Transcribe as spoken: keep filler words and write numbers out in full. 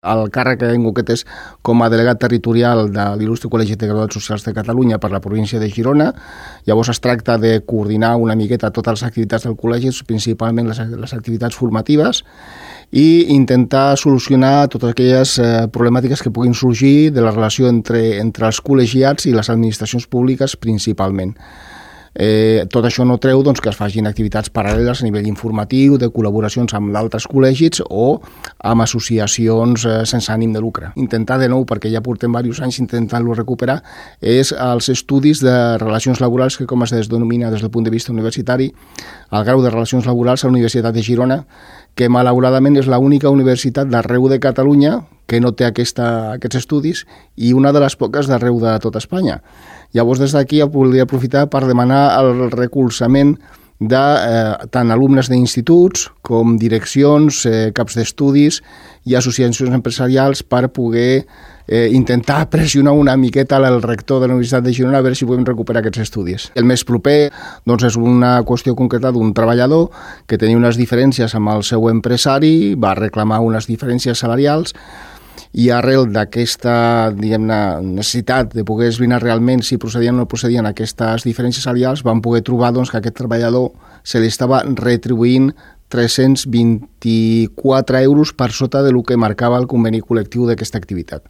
El càrrec que en concret és com a delegat territorial de l'Il·lustre Col·legi de Graduats Socials de Catalunya per la província de Girona. Llavors es tracta de coordinar una miqueta totes les activitats del col·legi, principalment les, les activitats formatives, i intentar solucionar totes aquelles eh, problemàtiques que puguin sorgir de la relació entre, entre els col·legiats i les administracions públiques principalment. Eh, tot això no treu doncs, que es facin activitats paral·leles a nivell informatiu, de col·laboracions amb d'altres col·legis o amb associacions eh, sense ànim de lucre. Intentar de nou, perquè ja portem diversos anys intentant-lo recuperar, és els estudis de relacions laborals que, com es denomina des del punt de vista universitari, el grau de relacions laborals a la Universitat de Girona, que malauradament és l'única universitat d'arreu de Catalunya que no té aquesta, aquests estudis i una de les poques d'arreu de tot Espanya. Llavors, des d'aquí voldria aprofitar per demanar el recolzament de eh, tant alumnes d'instituts com direccions, eh, caps d'estudis i associacions empresarials per poder eh, intentar pressionar una miqueta al rector de la Universitat de Girona a veure si podem recuperar aquests estudis. El més proper doncs, és una qüestió concreta d'un treballador que tenia unes diferències amb el seu empresari, va reclamar unes diferències salarials, i arrel d'aquesta, diguem-ne, necessitat de poder esbrinar realment si procedien o no procedien aquestes diferències salarials, vam poder trobar doncs, que aquest treballador se li estava retribuint tres-cents vint-i-quatre euros per sota del que marcava el conveni col·lectiu d'aquesta activitat.